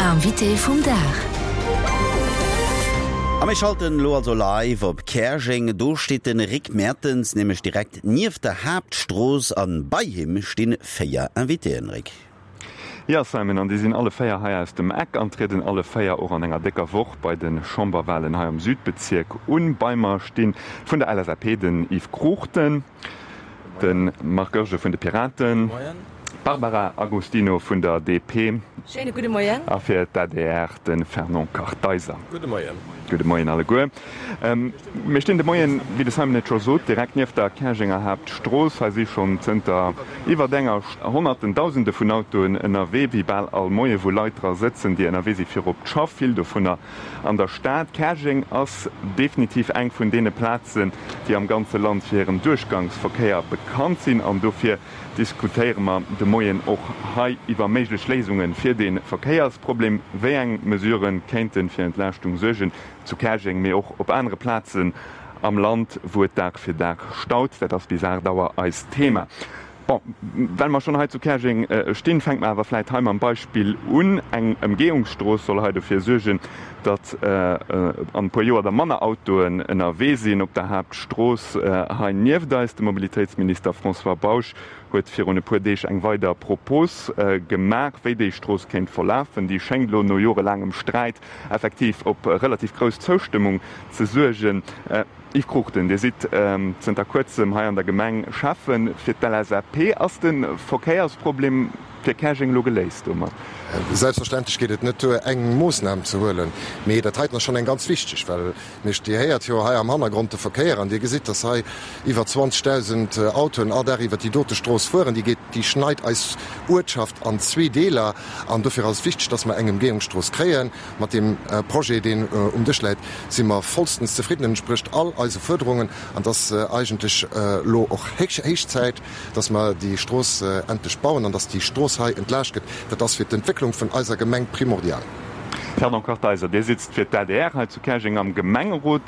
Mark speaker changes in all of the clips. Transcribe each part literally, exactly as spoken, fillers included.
Speaker 1: Invité vum Dag.
Speaker 2: A mir schalten elo also live op Käerjeng. Do steet de Rick Mertens nämlech direkt nieft der Haaptstrooss an bei him stinn véier Invitéen. Rick.
Speaker 3: Jo Simon, an déi sinn alle véier hei aus dem Eck an trieden alle véier och an enger décker Woch bei de Chamberwahlen hei am Südbezierk un. Bei mer stinn vun der L S A P den Yves Cruchten, de Marc Goergen vun de Piraten, Barbara Agostino vun der D P.
Speaker 4: Schéine gudde Moien.
Speaker 3: A fir d'A D R de Fernand Kartheiser.
Speaker 5: Gudde Moien.
Speaker 3: Gudde Moien alleguer. Mir stinn de Moien, wéi de Simon et scho sot, direkt nieft der Käerjenger Haaptstrooss. Hei si schonn zënter iwwert enger Honnerten, Dausende vun Autoen ënnerwee, wéi bal all Moie wou Leit dra sëtzen, déi ënnerwee si fir op d'Schaff, vill dovunner an der Stad. Käerjeng ass definitiv eng vun deene Plazen, déi am ganze Land fir hiren Duerchgangsverkéier bekannt sinn an dofir diskutéiere mer de Moien och hei iwwer méiglech Léisunge fir dee Verkéiersproblem. Wéi eng Mesurë kéinte fir Entlaaschtung suergen zu Käerjeng, mee och op anere Plazen am Land, wou et Dag fir Dag staut? Dat ass bis aacht Auer eist Thema. Bon, well mer schonn hei zu Käerjeng stinn, fänke mer awer vläit hei mam Beispill un. Eng Ëmgehungsstrooss soll hei dofir suergen, datt an e puer Joer da manner Autoen ënnerwee sinn op der Haaptstrooss hei nieft eis. De Mobilitéitsminister François Bausch huet virun e puer Deeg eng weider Propos gemaach, wéi déi Strooss kéint verlafen. Déi schéngt elo no jorelaangem Sträit effektiv op relativ grouss Zoustëmmung ze suergen. Yves Cruchten, Dir sidd zënter kuerzem hei an der Gemeng Schäffen fir d'L S A P. Ass de Verkéiersproblem fir Käerjeng elo geléist domat?
Speaker 6: Selbstverständlech geet et net duer, eng Moossnam ze huelen, mee dat heiten ass schonn eng ganz wichteg, well mir, Dir héiert jo hei am Hannergrond de Verkéier an Dir gesitt, dass hei iwwer zwanzegdausend Autoen all Dag iwwer déi dote Strooss fueren. Déi geet, déi schneit eis Uertschaft an zwee Deeler an dofir ass et wichteg, dass mer eng Emgehungsstrooss kréien. Mat deem Projet, deen um Dësch läit, si mer vollstens zefridden. En entsprécht all eise Fuerderungen an et ass eigentlech elo och héich Zäit, dass mer déi Strooss endlech bauen an dass déi Strooss hei entlaascht gëtt. Dat ass fir d'Entwécklung vun eiser Gemeng primordial.
Speaker 3: Fernand Kartheiser, Dir sitzt fir d'A D R hei zu Käerjeng am Gemengerot.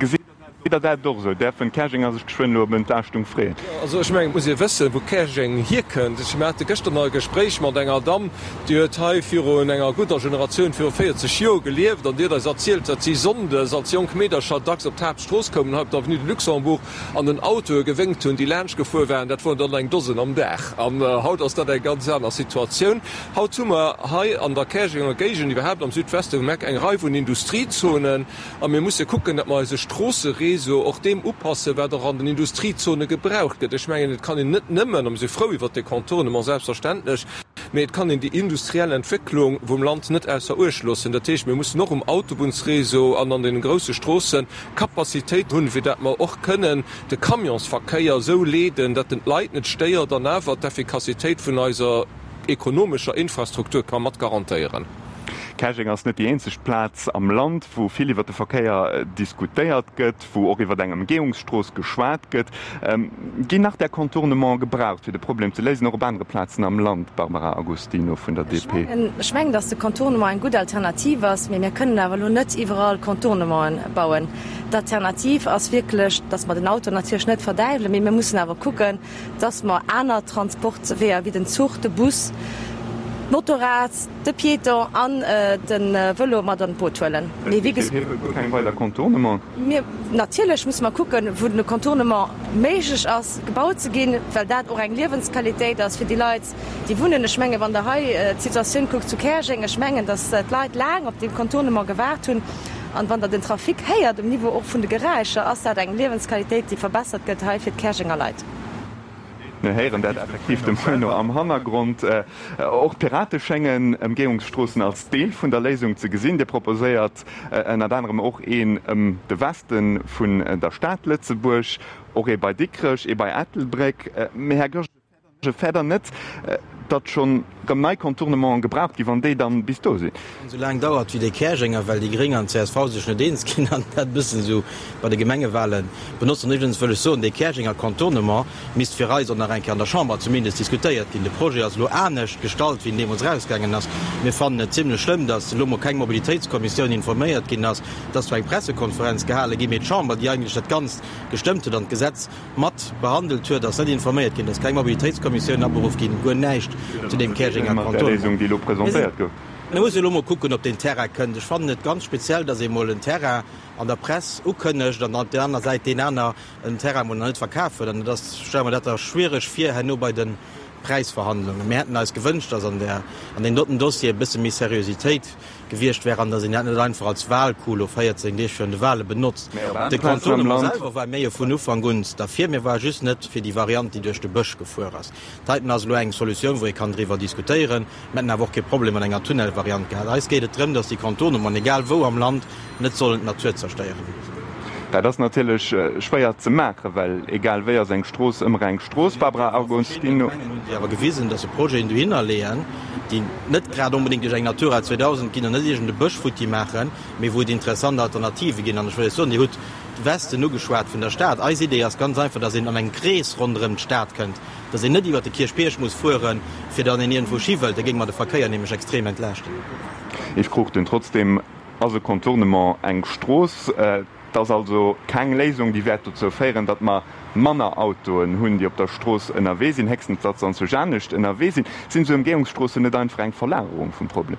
Speaker 3: Gesitt Der dat och esou? Däerfen d'Käerjenger sech geschwënn elo op Entlaaschtung freeën?
Speaker 5: Jo, also ech mengen, et muss ee wëssen, wou Käerjeng hierkënnt. Ech hate gëschter nach e Gespréich mat enger Damm, déi huet hei virun enger gudder Generatioun, viru véierzeg Joer gelieft an déi huet eis erzielt, datt si sonndes als jonk Meedercher dacks op d'Haaptstrooss koumen, hei op der Avenue de Luxembourg, an den Autoe gewénkt hunn, déi laanscht gefuer waren. Dat woren dann eng Dosen am Dag. An haut ass dat eng ganz aner Situatioun. Haut hu mer hei an der Käerjenger Géigend, iwwerhaapt am Südweste vum Eck, eng Rei vun Industriezonen. A mir musse kucken, datt mer eise Stroosseréseau och deem upassen, wat och an den Industriezone gebraucht gëtt. Ech mengen, et kann een net nëmmen, a mir si frou iwwert dee Contournement, selbstverständlech, mee et kann een déi industriell Entwécklung vum Land net ausser Uecht loossen. Dat heescht, mir mussen och um Autobunnsréseau an an deene grousse Stroosse Capacitéit hunn, fir dat mer och kënnen de Camionsverkéier esou leeden, datt en d'Leit net stéiert an awer d'Effikassitéit vun eiser ekonomescher Infrastruktur ka mat garantéieren.
Speaker 3: Käerjeng ass net déi eenzeg Plaz am Land, wou vill iwwer de Verkéier diskutéiert gëtt, wou och iwwer eng Ëmgehungsstrooss geschwat gëtt. Ginn nach där Contournementen gebraucht, fir de Problem ze léisen, och op anere Plazen am Land, Barbara Agostino vun der
Speaker 4: Ech
Speaker 3: D P?
Speaker 4: mengen, ech mengen, datt de Contournement eng gutt Alternativ ass, mee mir kënnen awer elo net iwwerall Contournementen bauen. D'Alternativ ass wierklech, datt mer den Auto natierlech net verdäiwelen, mee mir mussen awer kucken, datt mer aner Transportweeër wéi den Zuch, de Bus, d'Motorrad, de Piéton an de Vëlo mat an d'Boot huelen. Mee wéi
Speaker 3: gesot. Dir wëllt guer keng weider Contournementen?
Speaker 4: Mir, natierlech musse mer kucken, wou den Contournement méiglech ass, gebaut ze ginn, well dat och eng Liewensqualitéit ass fir déi Leit, déi wunnen. Ech mengen, wann Der hei d'Situatioun kuckt zu Käerjeng, ech mengen, datt d'Leit laang op dee Contournement gewaart hunn. An wann Der den Trafic héiert um Niveau och vun de Geräischer, ass dat eng Liewensqualitéit, déi verbessert gëtt hei fir d'Käerjenger Leit.
Speaker 3: Mir héieren dat effektiv dem Bruno am Hannergrond. Och d'Pirate schéngen Ëmgehungsstroossen als Deel vun der Léisung ze gesinn. Dir proposéiert ënnert anerem och een ëm de Weste vun der Stad Lëtzebuerg, och ee bei Dikrech, ee bei Ettelbréck. Mee Här Goergen, fäert Der net, datt schonn rëm nei Contournementen gebraucht ginn, wann déi dann bis do sinn?
Speaker 7: Esou laang dauert wéi déi Käerjenger, well déi Gréng an d'C S V sech net eens ginn an dat e bëssen esou bei de Gemengewahlen benotzen. Iwwregens wëll ech soen, dee Käerjenger Contournement misst fir eis och nach eng Kéier an der Chamber zumindest diskutéiert ginn. De Projet ass elo anescht gestallt, wéi en deemools erausgaangen ass. Mir fannen et zimlech schlëmm, datt elo mol keng Mobilitéitskommissioun informéiert ginn ass. Et ass zwar eng Pressekonferenz gehale ginn, mee d'Chamber, déi eigentlech dat Ganzt gestëmmt huet an d'Gesetz mat behandelt huet, ass net informéiert ginn. Et ass keng Mobilitéitskommissioun aberuff ginn, guer näischt zu deem Käerjenger
Speaker 3: Mat der Léisung, déi elo
Speaker 7: Contournement.
Speaker 3: Presentéiert gouf.
Speaker 7: Mir musse elo mol kucken, ob deen Terrain kënnt. Ech fannen et ganz speziell, datt ee mol en Terrain an der Press ukënnegt an dann op där aner Säit deen aner en Terrain mol nach net verkaf huet. An dat ass, stelle mer dat da schwiereg vir herno bei de Präisverhandlungen. Mir hätten eis gewënscht, datt an där, an deem doten Dossier e bësse méi Seriositéit gewiescht wär an datt een dat net einfach als Wahlcoup elo véierzéng Deeg virun de Wahle benotzt. De Contournement selwer war mir jo vun Ufank un derfir. Mir ware just net fir déi Variant, déi duerch de Bësch gefuer ass. Dat heiten ass elo eng Solutioun, wou ee kann driwwer diskutéieren. Mir hätten awer och kee Problem mat enger Tunnelvariant gehat. Eis geet et drëm, datt déi Contournementen, egal wou am Land, net sollen d'Natur zerstéieren.
Speaker 3: Dat ass natierlech schwéier ze maachen, well egal wéi ass eng Strooss ëmmer eng Strooss. Barbara Agostino.
Speaker 7: D'Gemengen hunn sech awer gewisen, datt se Projeten dohinner leeën, déi net grad onbedéngt duerch eng Natura zweedausend ginn an net iergend e Bësch futti maachen, mee wou et interessant Alternative ginn. An ech wëll Iech soen, Dir hutt de Westen ugeschwat vun der Stad. Eis Idee ass ganz einfach, datt een an engem Krees ronderëm d'Stad kënnt, datt een net iwwert de Kierchbierg muss fueren, fir dann een iergendwou hi wëllt. Da géinge mer de Verkéier nämlech extrem entlaaschten.
Speaker 3: Yves Cruchten, Trotzdem ass e Contournement eng Strooss. Et ass also keng Léisung, déi wäert dozou féieren, datt mer manner Autoen hunn, déi op der Strooss ënnerwee sinn, héchstens datt se anzwousch anescht ënnerwee sinn. Sinn esou Ëmgehungsstroossen net einfach eng Verlagerung vum Problem?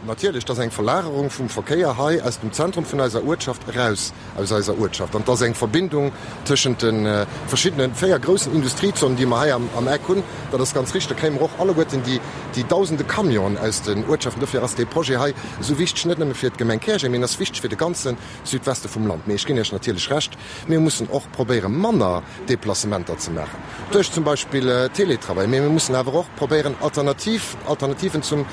Speaker 6: Natierlech, et ass eng Verlagerung vum Verkéier hei aus dem Zentrum vun eiser Uertschaft eraus aus eiser Uertschaft. An et ass eng Verbindung tëschent de verschiddene véier groussen Industriezonen, déi mer hei am Eck hunn. Dat ass ganz richteg. Da kréie mer och alleguerten déi dausende Camionen aus den Uertschaften. Dofir ass dee Projet hei esou wichteg, net nëmme fir d'Gemeng Käerjeng, mee en ass wichteg fir de ganze Südweste vum Land. Mee ech ginn Iech natierlech Recht, mir mussen och probéieren, manner Deplacementer ze maachen, duerch zum Beispill Teletravail. Mee mir mussen awer och probéieren, Alternativ, Alternativen zum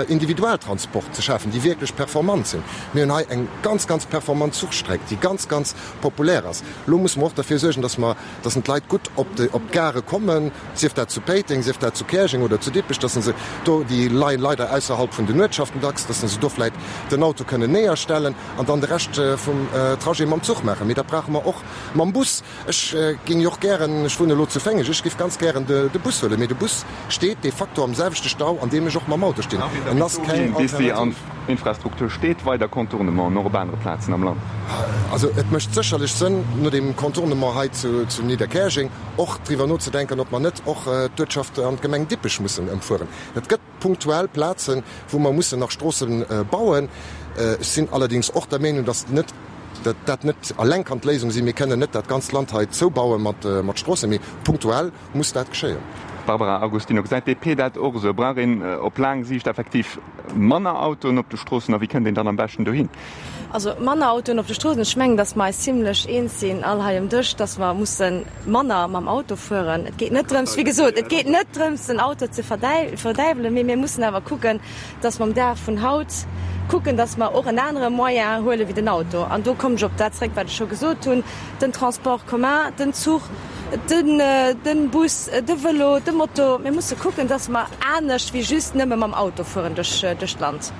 Speaker 6: Individualtransport ze schafen, déi wierklech performant sinn. Mir hunn hei eng ganz, ganz performant Zuchstreck, déi ganz, ganz populär ass. Elo musse mer och derfir suergen, dass mer, dass d'Leit gutt op de, op d'Gare kommen, sief dat zu Péiteng, sief dat zu Käerjeng oder zu Dippech, dass se do, déi leien leider ausserhalb vun den Uertschaften dacks, dass se do vläicht den Auto kënnen néierstellen an dann de Rescht vum Trajet mam Zuch maachen. Mee dat brauche mer och mam Bus. Ech géing jo och gären, ech wunnen elo zu Féngeg, ech géif ganz gären de Bus huelen, mee de Bus steet de facto am selwechte Stau, an deem ech och mam Auto stinn. En ass keng Alternativ.
Speaker 3: Infrastruktur steet, weider Contournementen och op anere Plazen am Land?
Speaker 6: Also et mécht sécherlech Sënn, no deem Contournement hei zu Nidderkäerjeng och driwwer nozedenken, ob mer net och d'Uertschaft an d'Gemeng Dippech mussen ëmfueren. Et gëtt punktuell Plazen, wou mer mussen nach Stroosse bauen. Ech sinn allerdéngs och der Meenung, datt net, datt dat net eleng kann d'Léisung sinn. Mir kënnen net dat ganzt Land hei zoubaue mat, mat Stroossen, mee punktuell muss dat geschéien.
Speaker 3: Barbara Agostino, Gesäit d'D P dat och esou? Brauch een op laang Siicht effektiv manner Autoen op de Stroossen a wéi kënnt een dann am beschten dohin?
Speaker 4: Also manner Autoen op de Stroossen, ech mengen, datt mer eis zimlech eens sinn all hei um Dësch, datt mer musse manner mam Auto fueren. Et geet net drëms, wéi gesot, et geet net drëms den Auto ze verdäiwelen, mee mir mussen awer kucken, datt mer um Dag vun haut kucken, datt mer och en anere Moyen huele wéi den Auto. An do kommen ech op dat zréck, wat ech scho gesot hunn, den Transport commun, den Zuch, den Bus, de Vëlo, de Moto. Mir musse kucken, datt mer anescht wéi just nëmme mam Auto fueren duerch d'Land.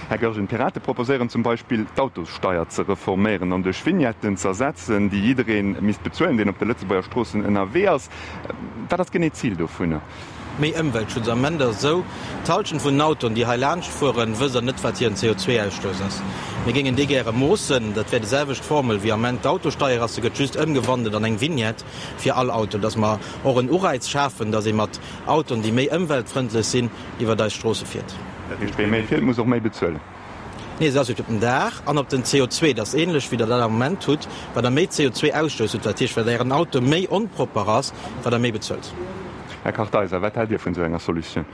Speaker 3: Här Goergen, d'Pirate proposéieren zum Beispill, d'Autossteier ze reforméieren an duerch Vignetten z'ersetzen, déi jidderee misst bezuelen, deen op de Lëtzebuerger Stroossen ënnerwee ass. Wat ass genee d'Zil dovunner?
Speaker 7: Méi Ëmweltschutz. Am Ament ass et esou, d'Hallschent vun den Autoen, déi hei laanscht fueren, wësst Der net, wat hiren C O zwei Ausstouss ass. Mir géingen dee gäre moossen. Dat wär déi selwecht Formel wéi am Ament d'Autosteier ass. Se gëtt just ëmgewandelt an eng Vignette fir all Auto, dass mer och en Ureiz schafen, dass ee mat Autoen, déi méi ëmweltfrëndlech sinn, iwwert eis Stroosse fiert.
Speaker 3: Dat heescht, wee méi fiert, muss och méi bezuelen?
Speaker 7: Nee, se ass just op den Dag an op den C O zwei. Dat ass ähnlech, wéi Der dat am Moment hutt. Wat Der méi C O zwei Ausstouss hutt, dat heescht, wat Ären Auto méi onpropper ass, wat Der méi bezuelt.
Speaker 3: Här Kartheiser, wat haalt Dir vun esou enger Solutioun?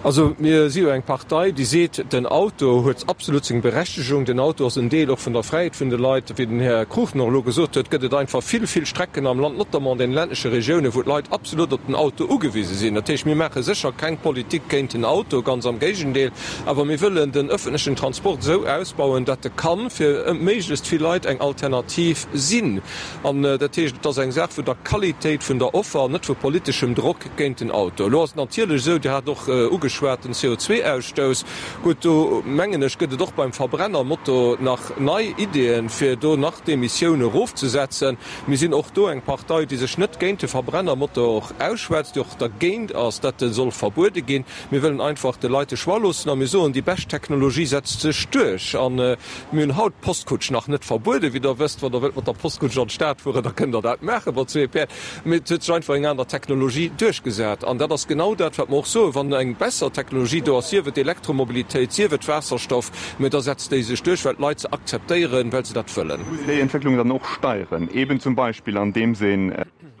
Speaker 5: Also mir si jo eng Partei, déi seet, den Auto huet absolut seng Berechtegung, den Auto ass en Deel och vun der Fräiheet vun de Leit. Wéi den Här Cruchten och elo gesot huet, gëtt et einfach vill, vill Strecken am Land, notamment an den ländleche Regiounen, wou d'Leit absolut op den Auto ugewise sinn. Dat heescht, mir maache sécher keng Politik géint den Auto, ganz am Géigendeel, awer mir wëllen den öffentlechen Transport esou ausbauen, datt e kann fir méiglechst vill Leit eng Alternativ sinn. An dat heescht, et ass eng Saach vun der Qualitéit vun der Offer, net vu politeschem Drock géint den Auto. Elo ass et natierlech esou, Dir hat och ugeschwat den C O zwei Ausstouss. Gutt, do mengen ech, gëtt et och beim Verbrennermotor nach nei Ideeën, fir do nach d'Emissioune erofzesetzen. Mir sinn och do eng Partei, déi sech net géint de Verbrennermotor ausschwätzt, déi och dergéint ass, datt e soll verbuede ginn. Mir wëllen einfach de Leit de Choix loossen a mir soen, déi bescht Technologie setzt sech duerch. A mir hunn haut d'Postkutsch nach net verbueden, wéi Der wësst. Wann Der wëllt mat der Postkutsch an d'Stad fueren, da kënnt Der dat maache mat zwee Päerd. Mee et huet sech einfach eng aner Technologie duerchgesat. An dat ass genau dat, wat mer och soen, Wann eng besser besser Technologie do ass, sief et Elektromobilitéit, sief et Waasserstoff, mä da setzt déi sech duerch, well d'Leit se akzeptéieren, well se dat wëllen.
Speaker 3: Muss een déi Entwécklung dann och steieren, eben zum Beispill andeems een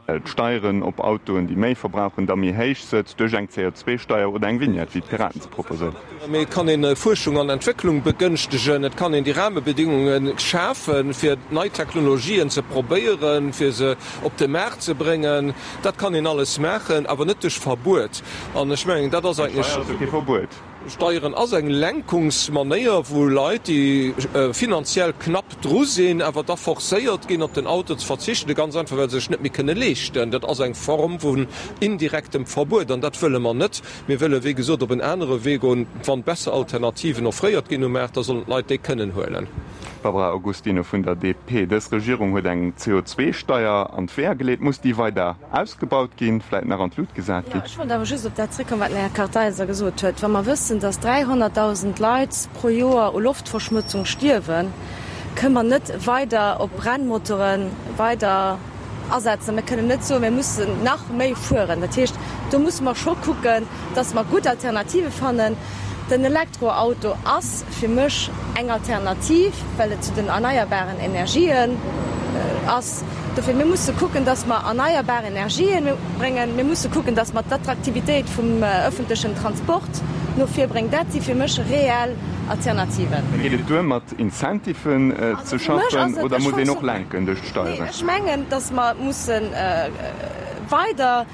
Speaker 3: d'Steieren op Autoen, déi méi verbrauchen, da méi héich sëtzt duerch eng C O zwei Steier oder eng Vignette, wéi d'Piraten se proposéieren?
Speaker 5: Mee et kann een Fuerschung an Entwécklung begënschtegen, et kann een déi Rahmebedingungen schafen, fir nei Technologien ze probéieren, fir se op de Maart ze bréngen. Dat kann een alles maachen, awer net duerch Verbuet. An ech mengen, dat ass eigentlech.
Speaker 3: Steier ass jo kee Verbuet.
Speaker 5: Steieren ass eng Lenkungsmanéier, wou Leit, déi finanziell knapp dru sinn, awer da forcéiert ginn, op den Auto ze verzichten, ganz einfach, well se sech net méi kënne leeschten. Dat ass eng Form vun indirektem Verbuet, an dat wëlle mer net. Mir wëlle, wéi gesot, op en anere Wee goen. Wann besser Alternativen offréiert ginn um Maart, da sollen d'Leit déi kënnen huelen.
Speaker 3: Barbara Augustino vun der D P, Dës Regierung huet eng C O zwei Steier an d'Weeër geleet. Muss déi weider ausgebaut ginn, vläit nach an d'Lut gesat
Speaker 4: Jo,
Speaker 3: ginn?
Speaker 4: ech wollt awer just op dat zréckkommen, wat den Här Kartheiser gesot huet. Wa mer wëssen, dass dräihonnertdausend Leit pro Joer u Loftverschmutzung stierwen, kënnen mer net weider op Brennmotoren weider asetzen. Mir kënnen net soen, mir mussen nach méi fueren. Dat heescht, do musse mer scho kucken, dass mer gutt Alternative fannen. Den Elektroauto ass fir mech eng Alternativ, well et zu den erneierbaren Energien ass. Dofir, mir musse kucken, dass mer erneierbar Energien bréngen. Mir musse kucken, dass mer d'Attraktivitéit vum öffentlechen Transport no vir bréngen. Dat si fir mech reell Alternativen.
Speaker 3: Geet et duer mat Incentiven ze
Speaker 4: Also fir mech
Speaker 3: schaffen
Speaker 4: ass et,
Speaker 3: oder
Speaker 4: ech
Speaker 3: muss een och
Speaker 4: fonction,
Speaker 3: lenken duerch
Speaker 4: nee,
Speaker 3: d'Steieren?
Speaker 4: ech mengen, dass mer mussen weider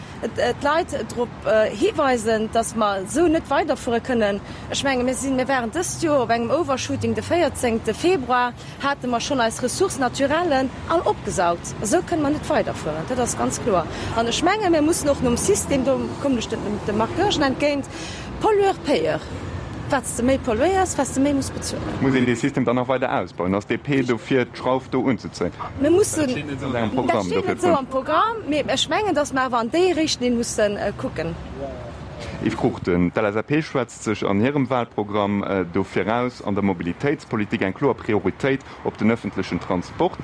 Speaker 4: d'Leit drop hiweisen, dass mer esou net weiderfuere kënnen. Ech menge mir sinn, mir waren dëst Joer op engem Overshooting, de véierzéngte Februar hate mer schonn eis Ressources naturellen all opgesaugt. Esou kënne mer net weiderfueren, dat ass ganz kloer. An ech menge mir mussen och nom System, do kommen ech dem Marc Goergen entgéint, Pollueur-Payeur. Wat s de méi polluéiers, wat s de méi muss bezuelen.
Speaker 3: Muss een dee System dann nach weider ausbauen? Ass D P dofir, d'Schrauf do unzezéien?
Speaker 4: Mir mussen,
Speaker 3: Dat steet net esou an engem
Speaker 4: dat
Speaker 3: Programm,
Speaker 4: steet
Speaker 3: dofir
Speaker 4: net esou am Programm, mee ech mengen, datt mer awer an déi Richtlinn mussen kucken.
Speaker 3: Yves Cruchten, D'L S A P schwätzt sech an hirem Wahlprogramm dofir aus, an der Mobilitéitspolitik eng kloer Prioritéit op den öffentlechen Transport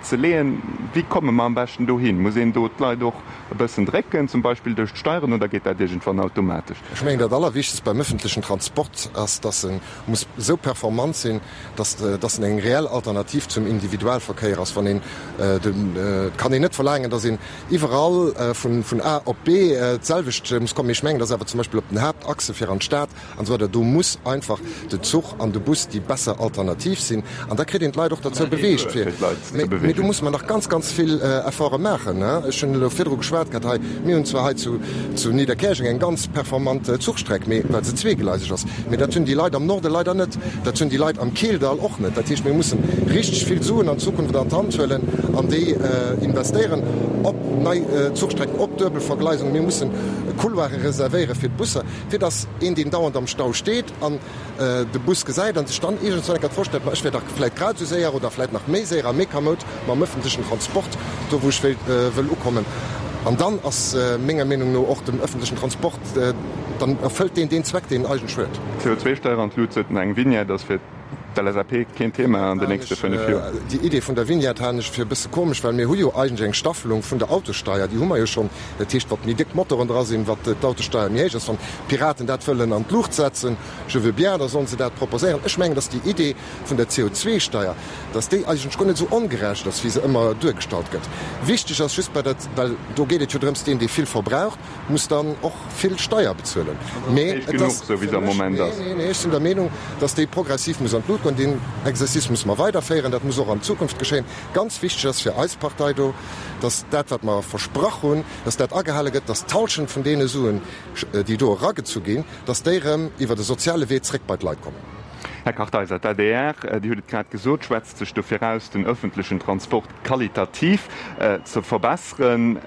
Speaker 3: ze leeën. Wéi komme mer am beschten dohin? Muss een do d'Leit och e bëssen drécken, zum Beispill duerch d'Steieren, oder geet dat iergendwann automatesch?
Speaker 6: Ech mengen, dat Allerwichtegst beim öffentlechen Transport ass, dass e muss esou performant sinn, dass dass en eng reell Alternativ zum Individualverkéier ass. Wann een, et kann een net verlaangen, dass een iwwerall vun vun A op B d'selwecht muss kommen. Mee ech mengen, dass awer zum Beispill op den Haaptachse fir an d'Stad an esou weider, do muss einfach den Zuch an de Bus déi besser Alternativ sinn. An da kritt een d'Leit och derzou beweegt fir.
Speaker 3: Fir d'Leit ze
Speaker 6: Mee
Speaker 3: beweegen.
Speaker 6: do musse mer nach ganz, ganz vill Efforte maachen. Ech hunn elo virdru geschwat gehat hei, mir hunn zwar hei zu zu Nidderkäerjeng eng ganz performant Zuchstreck, mee well se zweegleiseg ass. Mee dat hunn déi Leit am Norde leider net, dat hunn déi Leit am Keeldall och net. Dat heescht, mir mussen richteg vill Suen an Zukunft an d'Hand huelen an déi investéieren op nei Zuchstrecken, op Duebelvergleisung. Mir mussen Couloire reservéiere fir d'Busser, fir dass een, deen dauernd am Stau steet an de Bus gesäit an sech dann iergendswann eng Kéier d'Fro stellt, ma ech wär dach vläit grad esou séier oder vläit nach méi séier a méi kamoud mam ëffentlechen Transport do, wou ech wéilt, wëll ukommen. An dann ass menger Meenung no och dem ëffentlechen Transport, dann erfëllt deen deen Zweck, deen en eigentlech huet.
Speaker 3: C O zwei Steier an d'Lut setzen, eng Vignette ass fir d'L S A P keen Thema an den nächste fënnef Joer.
Speaker 6: Déi Idee vun der Vignette halen ech fir e bësse komesch, well mir hu jo eigentlech eng Staffelung vun der Autossteier, déi hu mer jo schonn. Dat heescht, wat méi déck Motoren dra sinn, wat d'Autosteier méi héich ass. Wann d'Piraten dat wëllen an d'Luucht setzen, je veux bien, da sollen se dat proposéieren. Ech mengen, datt déi Idee vun der C O zwei Steier, datt déi eigentlech guer net esou ongerecht ass, wéi se ëmmer duergestallt gëtt. Wichteg ass just bei der, well do geet et jo drëms, deen, dee vill verbraucht, muss dann och vill Steier bezuelen. Mee
Speaker 3: Héich
Speaker 6: et
Speaker 3: genuch,
Speaker 6: ass
Speaker 3: esou wéi se am Moment ass.
Speaker 6: Nee, nee, ech sinn der Meenung, datt déi progressiv muss an d'Lut goen. Deen Exercice muss mer weiderféieren, dat muss och an Zukunft geschéien. Ganz wichteg ass fir eis Partei do, datt dat, wat mer versprach hunn, datt dat agehale gëtt, datt d'Hallschent vun deene Suen, déi do eragezu ginn, datt déi erëm iwwer de soziale Wee zréck bei d'Leit kommen.
Speaker 3: Här Kartheiser, d'A D R, Dir hutt et grad gesot, schwätzt sech dofir aus, den öffentlechen Transport qualitativ ze verbesseren.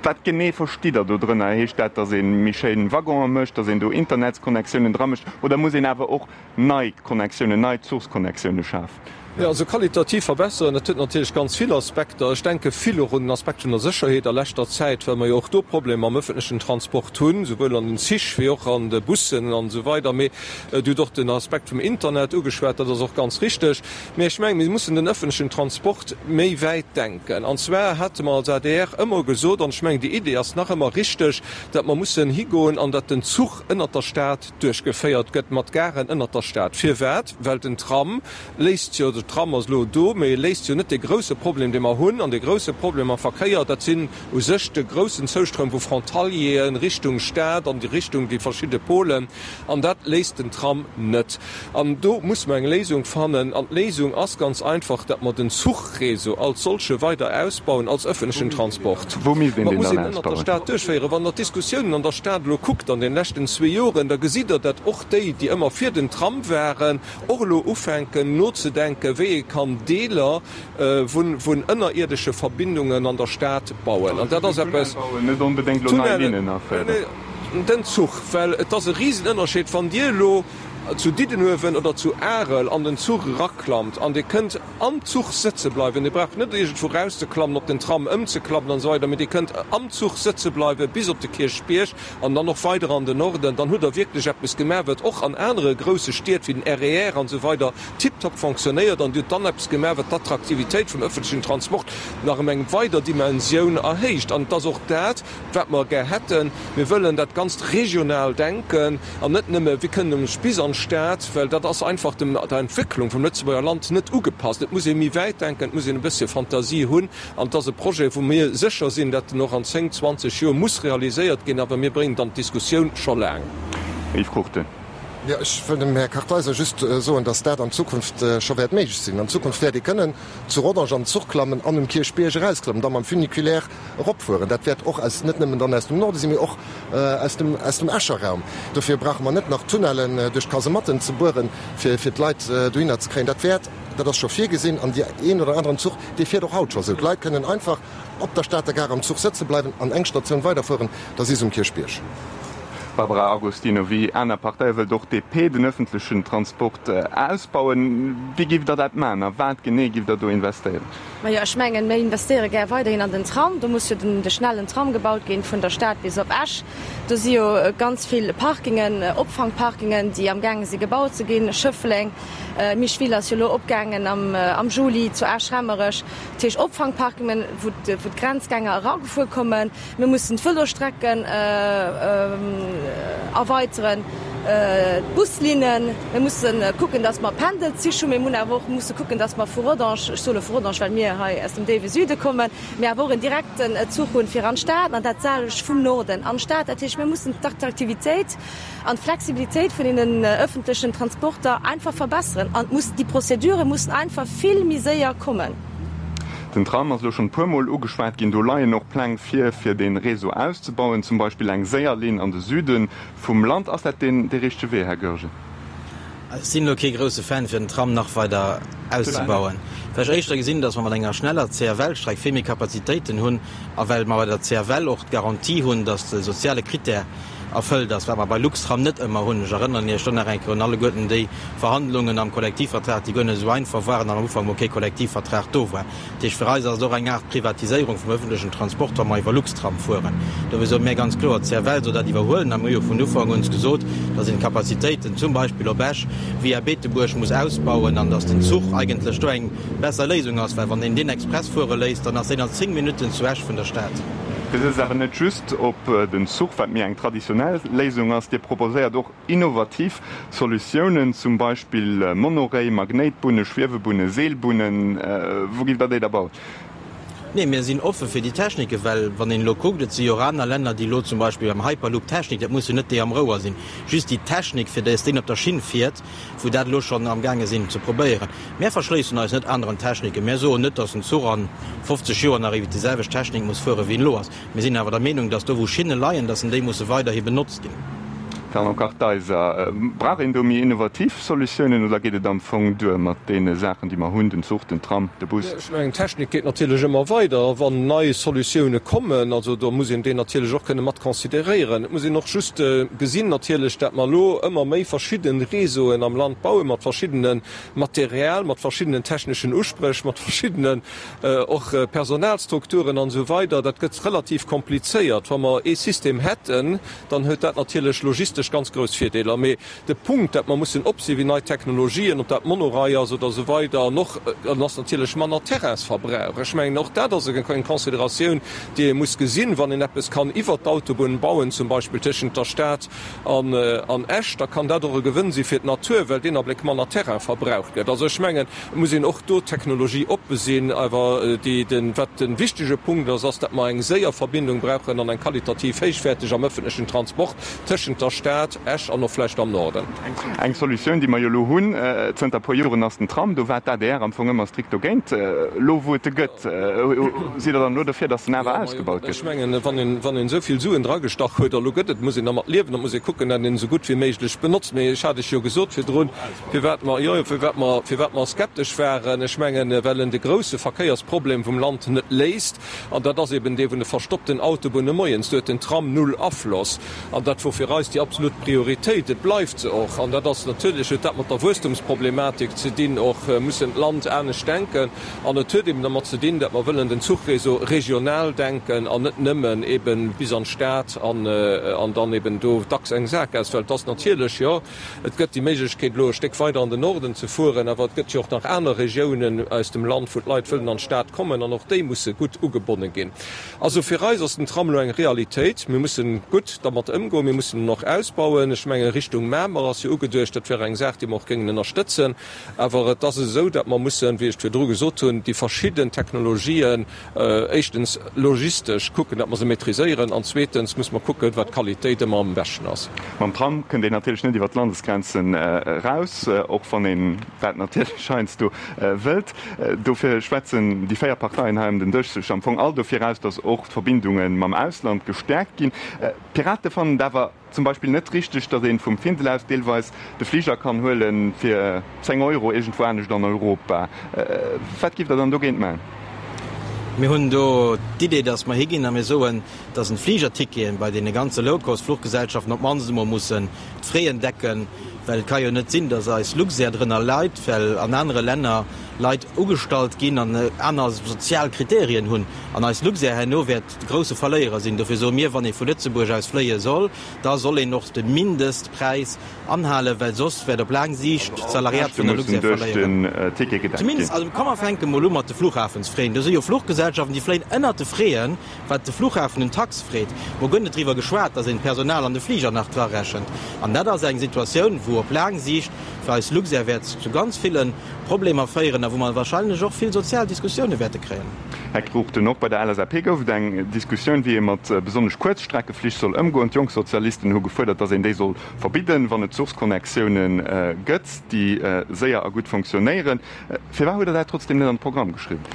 Speaker 3: Wat genee verstitt Der do drënner? Heescht dat, datt ee méi schéin Waggonen mécht, datt een do Internetsconnectiounen dra mécht, oder muss een awer och nei Connectiounen, nei Zuchsconnectiounen schafen?
Speaker 5: Jo, also qualitativ verbesseren, dat huet natierlech ganz vill Aspekter. Ech denke vill och un den Aspekt vun der Sécherheet a leschter Zäit, well mer jo och do Problemer am öffentlechen Transport hunn, souwuel an den Zich wéi och an de Bussen an esou weider. Mee Dir hutt och den Aspekt vum Internet ugeschwat, dat ass och ganz richteg. Mee ech mengen, mir mussen den öffentlechen Transport méi wäit denken. An zwar hate mer als adr ëmmer gesot, an ech mengen, déi Idee ass nach ëmmer richteg, datt mer mussen higoen an datt den Zuch ënnert der Stad duerchgeféiert gëtt, mat Garen ënnert der Stad. Firwat? Well den Tram léist jo, de Tram ass elo do, mee e léist jo net dee grouse Problem, dee mer hunn. An dee grouse Problem am Verkéier, dat sinn u sech de groussen Zoustroum vu Frontalieren Richtung Stad an Richtung déi verschidde Polen. An dat léist den Tram net. An do musse mer eng Léisung fannen. An d'Léisung ass ganz einfach, datt mer den Zuchréseau als solche weider ausbauen als öffentlechen Transport.
Speaker 3: Wou misst een
Speaker 5: Mer
Speaker 3: deen
Speaker 5: muss
Speaker 3: dann
Speaker 5: een ënnert der
Speaker 3: ausbauen?
Speaker 5: Stad duerchféieren. Wann Der d'Diskussiounen an der Stad elo kuckt an den leschten zwee Joren, da gesitt Der, datt och déi, déi ëmmer fir den Tram waren, och elo ufänken nozedenken, wéi ee kann Deeler vun vun ënnerierdesche Verbindungen an der Stad bauen. An dat ass eppes.
Speaker 3: Net onbedéngt elo nei
Speaker 5: Tunnellen,
Speaker 3: Linnen aféieren.
Speaker 5: Den Zuch, well et ass e Risenënnerscheed, wann Dir elo zu Diddenuewen oder zu Arel an den Zuch eraklammt an Dir kënnt am Zuch sëtze bleiwen, Dir braucht net iergendwou erauszeklammen, op den Tram ëmzeklammen an esou weider, mee Dir kënnt am Zuch sëtze bleiwe bis op de Kierchbierg an dann och weider an den Norden, dann hutt Der wierklech eppes gemaach, wat och an anere grousse Stied wéi den RER an esou weider tiptop fonctionnéiert an Dir hutt dann eppes gemaach, wat d'Attraktivitéit vum öffentlechen Transport nach ëm eng weider Dimensioun erhéicht. An et ass och dat, wat mer gär hätten. Mir wëllen dat Ganzt regional denken an net nëmme, Wéi kënnen ech bis an d'Stad, well dat ass einfach dem, der Entwécklung vum Lëtzebuerger Land net ugepasst. Et muss ee méi wäit denken, et muss een e bëssche Fantasie hunn. An et ass e Projet, wou mir sécher sinn, datt en och an zéng, zwanzeg Joer muss realiséiert ginn, awer mir bréngen et an d'Diskussioun scho laang.
Speaker 3: Yves Cruchten.
Speaker 6: Jo, ech wëll dem Här Kartheiser just soen, dass dat an Zukunft scho wäert méiglech sinn. An Zukunft wäert ee kënnen zu Rodange an den Zuch klammen an um Kierchbierg erausklammen, da mam Funiculaire eropfueren. Dat wäert och aus, net nëmmen dann aus dem Norde sinn, mee och aus dem, aus dem Escher Raum. Dofir brauche mer net nach Tunnellen duerch d'Kasematten ze bueren, fir, fir d'Leit dohinner ze kréien. Dat wäert, dat ass scho virgesinn an dee een oder aneren Zuch, dee fiert och haut scho esou. D'Leit kënnen einfach op der Stater Gare am Zuch sëtze bleiwen an eng Statioun weiderfueren, da si se um Kierchbierg.
Speaker 3: Barbara Agostino, Wéi aner Parteie wëllt och d'DP den ëffentlechen Transport ausbauen. Wéi giff Der dat maachen a wat genee giff Der do investéieren?
Speaker 4: Majo, ech mengen, mir investéiere gär weiderhin an den Tram. Do muss jo den de schnellen Tram gebaut ginn vun der Stad bis op Esch. Do si jo ganz vill Parkingen, Opfangparkingen, déi amgaange si gebaut ze ginn, Schëffleng, Micheville ass jo elo opgaangen am am Juli zu Esch-Rammerech. Dat heescht Opfangparkingen, wou d'Grenzgänger eragefuer kommen. Mir mussen d'Vëlosstrecken erweiteren, d'Buslinnen. Mir musse kucken, datt mer Pendelzich hunn. Mir hunn awer och musse kucken, datt mer vu Rodange, ech soe lo vu Rodange, well mir hei aus dem déiwe Süde kommen, mir awer och en direkten Zuch hunn fir an d'Stad an dat selwecht vum Norden an d'Stad. Dat heescht, mir mussen d'Attraktivitéit an d'Flexibilitéit vun deenen öffentlechen Transporter einfach verbesseren an et muss, déi Procédurë mussen einfach vill méi séier kommen.
Speaker 3: Den Tram ass elo schonn e puer Mol ugeschwat ginn. Do leien och Pläng vir, fir dee Réseau auszebauen, zum Beispill eng séier Linn an de Süde vum Land. Ass dat deen dee richtege Wee, Här Goergen?
Speaker 7: Ech sinn elo kee grousse Fan, fir den Tram nach weider auszebauen, well ech éischter gesinn, datt mer mat enger schneller C F L-Streck vill méi Kapazitéiten hunn a well mer bei der C F L och d'Garantie hunn, datt de soziale Critère erfëllt ass, wat mer bei Luxtram net ëmmer hunn. Ech erënneren Iech do nach eng Kéier un alleguerten déi Verhandlungen am Kollektivvertrag, déi guer net esou einfach waren an am Ufank mol kee Kollektivvertrag do war. Dat heescht, fir eis ass et och eng Aart Privatiséierung vum öffentlechen Transport, wa mer iwwer Luxtram fueren. Dofir soe mir ganz kloer, d'C F L soll dat iwwerhuelen a mir hu jo vun Ufank un gesot, dass een d'Kapazitéiten zum Beispill op Esch via Beetebuerg muss ausbauen an dass den Zuch eigentlech do eng besser Léisung ass, well wann een deen Express fuere léisst, dann ass deen an zéng Minutten zu Esch vun der Stad.
Speaker 3: Dir sëtzt awer net just op den Zuch, wat méi eng traditionell Léisung ass. Dir proposéiert och innovativ Solutiounen, zum Beispill Monorail, Magnéitbunne, Schwiewebunne, Seelbunnen. Wou giff Der déi da bauen?
Speaker 7: Nee, mir sinn offe fir déi Techniken, well wann een elo kuckt, et si jo och aner Länner, déi elo zum Beispill beim Hyperloop-Technik, dat muss jo net déi am Rouer sinn, just déi Technik, fir dass deen op der Schinn fiert, wou dat elo schonn amgaange sinn ze probéieren. Mär verschléissen eis net aneren Techniken. Mär soen net, dass en Zuch a fofzeg Joer nach iwwert déi selwecht Technik muss fuere wéi en elo ass. Mir sinn awer der Meenung, dass do wou Schinne leien, dass en déi musse weiderhi benotzt ginn.
Speaker 3: Fernand Kartheiser, Brauch een do méi innovativ Solutiounen oder geet et am Fong duer mat deene Saachen, déi mer hunn, den Zuch, den Tram, de Bus?
Speaker 5: Ech mengen, d'Technik geet natierlech ëmmer weider. Wann nei Solutioune kommen, also do muss een déi natierlech och kënne mat consideréieren. Et muss een och just gesinn natierlech, dat mer elo ëmmer méi verschidde Réseauen am Land bauen, mat verschiddene Material, mat verschiddenen techneschen Uspréch, mat verschiddenen och Personalstrukturen an esou weider. Dat gëtt relativ komplizéiert. Wa mer ee System hätten, dann huet dat natierlech logistesch ganz grouss Virdeeler. Mee de Punkt, dat mer mussen op si wéi nei Technologien, ob dat Monorail ass oder esou weider, an och an ass natierlech manner Terrainsverbrauch. Ech mengen, och dat ass eng Consideratioun, déi ee muss gesinn, wann een eppes kann iwwert d'Autobunn bauen, zum Beispill tëschent der Stad an an Esch, da kann dat och e Gewënn si fir d'Natur, well deen Abléck manner Terrain verbraucht gëtt. Also ech mengen, et muss een och do technologieoppe sinn. Awer déi, den, wat de wichtege Punkt ass, ass, dat mer eng séier Verbindung brauchen an eng qualitativ héichwäerteg am ëffentlechen Transport tëschent der Stad, Esch an och vläicht am Norden.
Speaker 3: Eng Solutioun, déi mer jo elo hunn zënter e puer Joren, ass den Tram. Do war d'ADR am Fong ëmmer strikt dogéint. Elo wou et e gëtt, sidd Der dann elo dofir, datt en awer ausgebaut gëtt?
Speaker 5: Ech mengen, wann een, wann een esou vill Suen dragestach huet a elo gëtt et, muss een dermat liewen. Da muss ee kucken, datt een esou gutt wéi méiglech benotzt. Mee ech hat lech jo gesot virdrun, firwat mer, jo, jo, firwat mer, firwat mer skeptesch waren. Ech mengen, well en de grousse Verkéiersproblem vum Land net léist, an dat ass eben dee vun de verstoppten Autobunne moies. Do huet den Tram null Afloss. An dat wor fir eis déi absolut Prioritéit. Et bleift se och. An dat ass natierlech, huet dat mat der Wuesstumsproblematik ze dinn och, mussen d'Land anescht denken. An et huet eben dermat ze dinn, datt mer wëllen den Zuchréseau regional denken an net nëmmen eben bis an d'Stad an an dann eben do dacks eng Saakgaass. Well et ass natierlech, jo, et gëtt déi Méiglechkeet elo e Stéck weider an den Norden ze fueren, awer et gëtt jo och nach aner Regiounen aus dem Land, wou d'Leit wëllen an d'Stad kommen an och déi musse gutt ugebonne ginn. Also fir eis ass den Tram elo eng Realitéit. Mir mussen gutt dermat ëmgoen, mir mussen en och ausbauen. Ech menge Richtung Mamer ass jo ugeduecht, dat wär eng Saach, déi mer och géingen ënnerstëtzen. Awer et ass esou, datt mer mussen, wéi ech virdru gesot hunn, déi verschidden Technologien éischtens logistesch kucken, datt mer se maîtriséieren, an zweetens muss mer kucken, wat d'Qualitéit ëmmer am beschten ass.
Speaker 3: Mam Tram kënnt een natierlech net iwwer d'Landesgrenzen eraus, och wann een dat natierlech heiansdo wëllt. Dofir schwätzen déi véier Parteien hei ëm den Dësch sech am Fong all dofir aus, datt och d'Verbindunge mam Ausland gestäerkt ginn. D'Pirate fannen et awer zum Beispill net richteg, datt ee vum Findel aus deelweis de Fliger kann huele fir zéng Euro iergendwou anescht an Europa. Wat giff Der dann dogéint maachen?
Speaker 7: Mir hunn do d'Idee, datt mer higinn a mir soen, datt en d'Fligerticketen bei deene ganze Low-Cost-Fluchgesellschaften op d'mannst emol mussen d'Fraien decken, well et ka jo net sinn, datt eis Luxair drënner leit, well an anere Länner Leit ugestallt ginn an aner sozial Kriterien hunn an eis Luxair herno wäert de grousse Verléierer sinn. Dofir soe mir, wann ee vu Lëtzebuerg aus fléie soll, da soll een och de Mindestpräis anhalen, well soss wäert op laang Siicht d'Salariat vun der Luxair verléieren. Zumindest, also komm mer fänke mol u mat de Fluchhafensfraien. Do si jo Fluchgesellschaften, déi fléien ënnert de Fraien, wat de Fluchhafen un Tax freet. Mol guer net driwwer geschwat, datt een d'Personal an de Fliger nach drarechent. An dat ass eng Situatioun, wou op laang Siicht fir eis Luxair wäert zu ganz ville Problemer féieren a wou mer wahrscheinlech och vill sozial Diskussioune wäerte kréien.
Speaker 3: Här Cruchten, och bei der LSAP gouf et eng Diskussioun, wéi ee mat besonnesch Kuerzstreckeflich soll ëmgoen. D'Jongsozialisten hu gefuerdert, datt een déi soll verbidden, wann et Zuchsconnectioune gëtt, déi séier a gutt fonctionnéieren. Firwat hutt Der dat trotzdeem net an de Programm geschriwwen?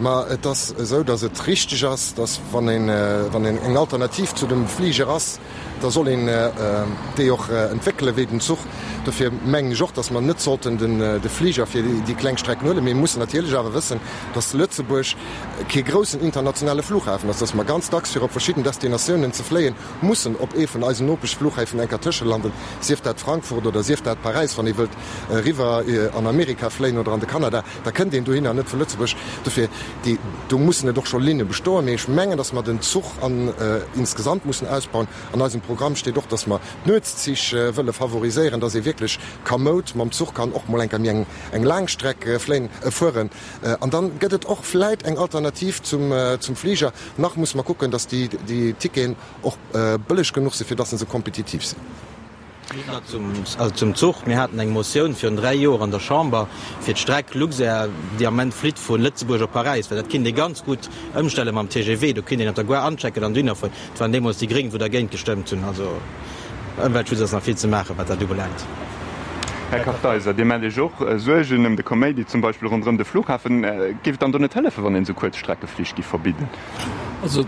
Speaker 6: Ma et ass esou, datt et richteg ass, datt wann een, wann een eng Alternativ zu dem Fliger ass, da soll een déi och entwéckelen, wéi den Zuch. Dofir mengen ech och, datt mer net sollten de Fliger fir déi kleng Strecken huelen. Mir mussen natierlech awer wëssen, datt Lëtzebuerg kee groussen internationale Flughafen ass, datt mer ganz dacks fir op verschidden Destinatiounen ze fléien, mussen op ee vun eisen Nopeschflughäfen enker tëschelanden, sief dat Frankfurt oder sief dat Paräis, wann ee wëllt eriwwer an Amerika fléien oder an de Kanada, da kënnt een dohinner net vu Lëtzebuerg. Dofir, déi, do mussen et och scho Linne bestoen. Mee ech mengen, datt mer den Zuch an insgesamt mussen ausbauen. An eisem Programm steet och, datt mer d'Nuetszich wëlle favoriséieren, datt ee wierklech kamoud mam Zuch kann och mol enker méi eng, eng laang Streck fléien, fueren. An dann gëtt et och vläit eng Alternativ zum, zum Fliger. Nach musse mer kucken, datt déi, déi Ticketen och bëlleg genuch sinn, fir datt se kompetitiv sinn.
Speaker 7: Zum Zuch, Mir haten eng Motioun virun dräi Joer an der Chamber fir d'Streck Luxair, déi am Moment flitt vu Lëtzebuerg op Paräis, well dat kinnt ee ganz gutt ëmstelle mam T G V. Do kinnt een op der Gare anchecken an dohinner fueren. Et waren deemools déi Gréng, wou dergéint gestëmmt hunn. Also Ëmweltschutz ass nach vill ze maachen, wat dat ubelaangt.
Speaker 3: Här Kartheiser, Dir maacht Iech och Suergen ëm de Kaméidi, zum Beispill ronderëm de Flughafen. Géif et dann do net hëllefen, wann een esou Kuerzstreckeflich géif verbidden?
Speaker 5: Also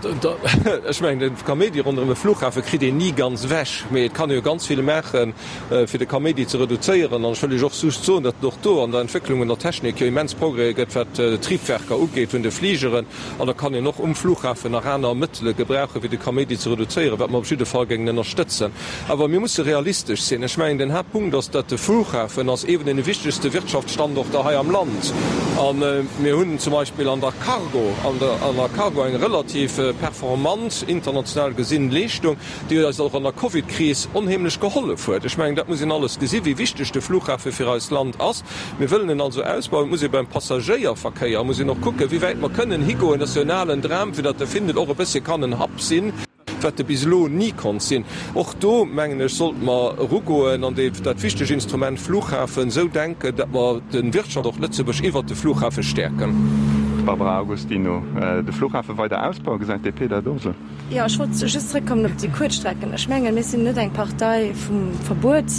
Speaker 5: ech mengen, de Kaméidi ronderëm e Flughafe kritt een ni ganz ewech, mee et kann ee jo ganz vill maachen, fir de Kaméidi ze reduzéieren. An ech wëll Iech och just soen, datt et och do an der Entwécklung un der Technik jo immens Progrèse gëtt, wat d'Triebwerker ugeet vun de Fligeren. An da kann een och um Flughafen nach aner Mëttele gebrauchen, fir de Kaméidi ze reduzéieren, wat mer op jidde Fall géingen ënnerstëtzen. Awer mir musse realistesch sinn. Ech mengen, den Haaptpunkt ass, datt de Flughafen ass ee vun deene wichtegste Wirtschaftsstandorter hei am Land. A mir hunn zum Beispill an der Cargo, an der Cargo eng relativ performant, international gesinn, Leeschtung, déi eis och an der Covidkris onheemlech gehollef huet. Ech mengen, dat muss een alles gesinn, wéi wichteg de Flughafe fir eist Land ass. Mir wëllen en also ausbauen. Et muss ee beim Passagéierverkéier muss een och kucken, wéi wäit mer kënnen higoen. Dat ass jo en alen Dram, fir datt de Findel och e bëssche kann en Hub sinn, wat e bis elo ni konnt sinn. Och do, mengen ech, sollte mer erugoen an dat wichteg Instrument Flughafen esou denken, datt mer de Wirtschaftsstandort Lëtzebuerg iwwert de Flughafe stäerken.
Speaker 3: Barbara Agostino, De Flughafe weider ausbauen, gesäit d'DP dat och esou?
Speaker 4: Jo, ech wollt just zrëckkommen op déi Kuerzstrecken. Ech mengen, mir sinn net eng Partei vum Verbuet.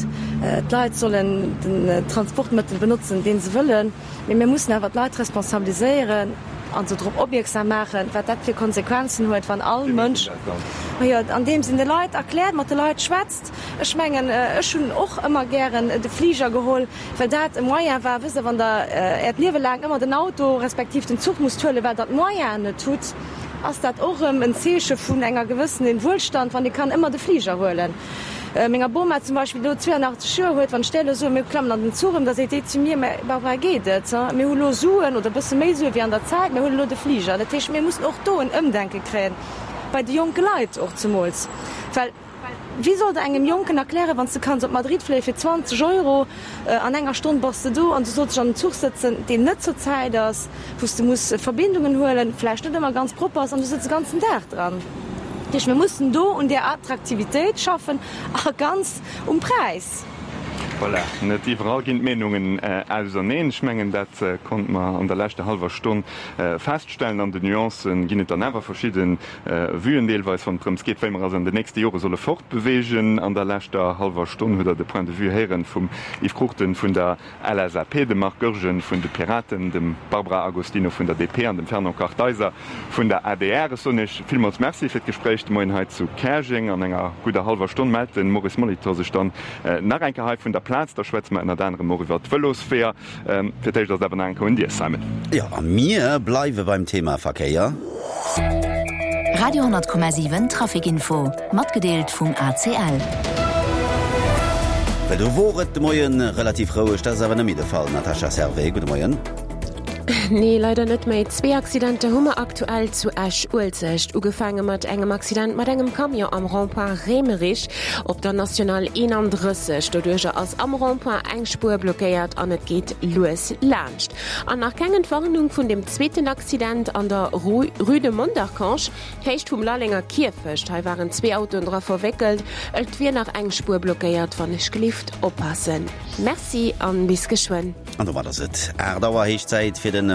Speaker 4: D'Leit sollen den Transportmëttel benotzen, dee se wëllen. Mee mir mussen awer d'Leit responsabiliséieren a se drop opmierksam maachen, wat dat fir Konsequenzen huet, wann all Mënsch, majo, andeems een de Leit erkläert, mat de Leit schwätzt. Ech mengen, ech hunn och ëmmer gären de Fliger geholl, well dat e Moyen war, wësst Der, wann Der Äert Liewe laang ëmmer den Auto respektiv den Zuch musst huelen, well Der d'Moyenen net hutt, ass dat och erëm en Zeeche vun enger gewëssenen Wuelstand, wann ee kann ëmmer de Fliger huelen. Menger Boma zum Beispill, déi elo zweeanachtzeg Joer huet, wann ech där elo soen, mir klammen an den Zuch ëm, da seet déi zu mir, Mä Barbara, geet et? Mir hu lo Suen oder e bësse méi Sue wéi an der Zäit, mir huelen elo de Fliger. Dat heescht, mir mussen och do en Ëmdenke kréien, bei de jonke Leit och zemools, well wéi soll Der engem Jonken erklären, wann s de kanns op Madrid fléie fir zwanzeg Euro, an enger Stonn bass de do an du solls dech an den Zuch sëtzen, deen net zur Zäit ass, wou s de muss Verbindungen huelen, vläicht net ëmmer ganz propper ass an du sëtz de ganzen Dag dran. Dat heescht, mir mussen do un där Attraktivitéit schaffen a ganz um Präis.
Speaker 3: Voilà, net iwwerall ginn d'Meenungen auserneen. Ech mengen, dat konnte mer an der leschter hallwer Stonn feststellen. An den Nuancen ginn et dann awer verschidde Vuen deelweis, wann et drëms geet, wéi mer eis an den nächste Jore solle fortbeweegen. An der leschter hallwer Stonn hutt Der de Point de vue héieren vum Yves Cruchten vun der L S A P, dem Marc Goergen vun de Piraten, dem Barbara Agostino vun der D P an dem Fernand Kartheiser vun der A D R. Ech soen Iech villmools Merci fir d'Gespréich de Moien hei zu Käerjeng. An enger gudder hallwer Stonn mellt de Maurice Molitor sech dann nach eng Kéier hei vun der Plaz. Da schwätze mer ënnert anerem och iwwer d'Vëlosweeër. Fir d'éischt ass et awer nach eng Kéier un dir, Simon.
Speaker 2: Jo, a mir bleiwe beim Thema Verkéier.
Speaker 1: Radio honnert Komma siwen Traficinfo, matgedeelt vum A C L.
Speaker 2: Well do wor et de Moien relativ roueg, dat ass awer net méi de Fall. Natasha Servais, gudde Moien.
Speaker 8: Nee, leider net méi. Zwee Accidenter hu mer aktuell zu Esch-Uelzecht. Ugefaange mat engem Accident mat engem Camion am Rond-point Raemerich op der National eenandrësseg. Doduercher ass am Rond-point eng Spuer blockéiert an et geet lues laanscht. An nach keng Entwarnung vun dem zweeten Accident an der Rue de Mondercange, Héicht vum Lallenger Kierfecht. Hei waren zwee Autoen dra verwéckelt. Et wier nach eng Spuer blockéiert. Wann ech gelift oppassen. Merci an bis geschwënn.
Speaker 2: An domat ass et aacht Auer, héich Zäit fir den.